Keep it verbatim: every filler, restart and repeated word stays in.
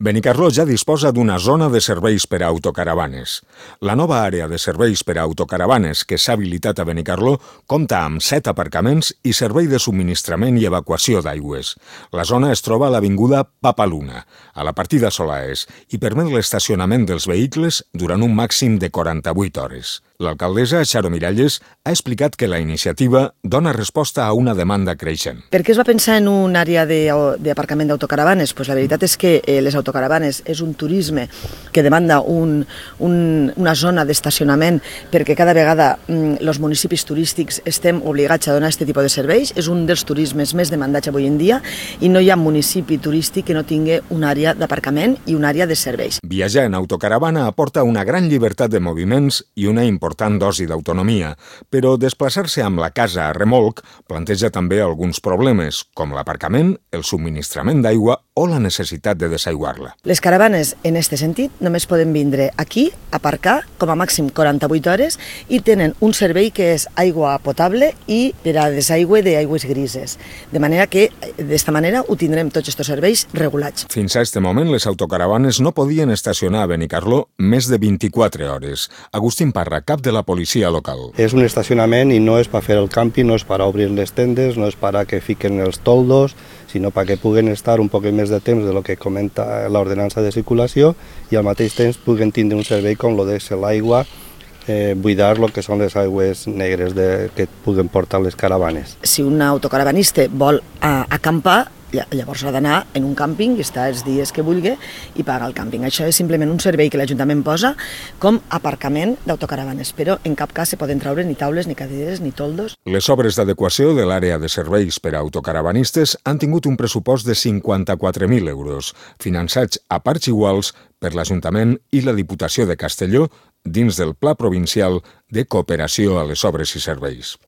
Benicarló ja disposa d'una zona de serveis per a autocaravanes. La nova àrea de serveis per a autocaravanes que s'ha habilitat a Benicarló compta amb set aparcaments i servei de subministrament i evacuació d'aigües. La zona es troba a l'avinguda Papaluna, a la partida Solaes, i permet l'estacionament dels vehicles durant un màxim de quaranta-vuit hores. L'alcaldessa, Xaro Miralles, ha explicat que la iniciativa dona resposta a una demanda creixent. Per què es va pensar en una àrea d'aparcament d'autocaravanes? Pues la veritat és que eh, les autocaravanes és un turisme que demanda un, un, una zona d'estacionament perquè cada vegada els mm, municipis turístics estem obligats a donar aquest tipus de serveis. És un dels turismes més demandats avui en dia i no hi ha municipi turístic que no tingui una àrea d'aparcament i una àrea de serveis. Viatjar en autocaravana aporta una gran llibertat de moviments i una important important dosi d'autonomia, però desplaçar-se amb la casa a remolc planteja també alguns problemes, com l'aparcament, el subministrament d'aigua o la necessitat de desaiguar-la. Les caravanes, en aquest sentit, només poden vindre aquí, aparcar, com a màxim quaranta-vuit hores, i tenen un servei que és aigua potable i per a desaigüe d'aigües grises. De manera que, d'esta manera, ho tindrem tots aquests serveis regulats. Fins a este moment, les autocaravanes no podien estacionar a Benicarló més de vint-i-quatre hores. Agustín Parra, cap de la policia local. És un estacionament i no és per fer el càmping, no és per obrir les tendes, no és per a que fiquen els toldos, sinó perquè puguen estar un poc més de temps de lo que comenta l'ordenança de circulació i al mateix temps puguen tindre un servei com lo de l'aigua, eh, buidar lo que són les aigües negres de, que puguen portar les caravanes. Si un autocaravanista vol a, acampar, llavors ha d'anar en un càmping i estar els dies que vulgui i pagar el càmping. Això és simplement un servei que l'Ajuntament posa com aparcament d'autocaravanes, però en cap cas se poden treure ni taules, ni cadires, ni toldos. Les obres d'adequació de l'àrea de serveis per a autocaravanistes han tingut un pressupost de cinquanta-quatre mil euros, finançats a parts iguals per l'Ajuntament i la Diputació de Castelló dins del Pla Provincial de Cooperació a les Obres i Serveis.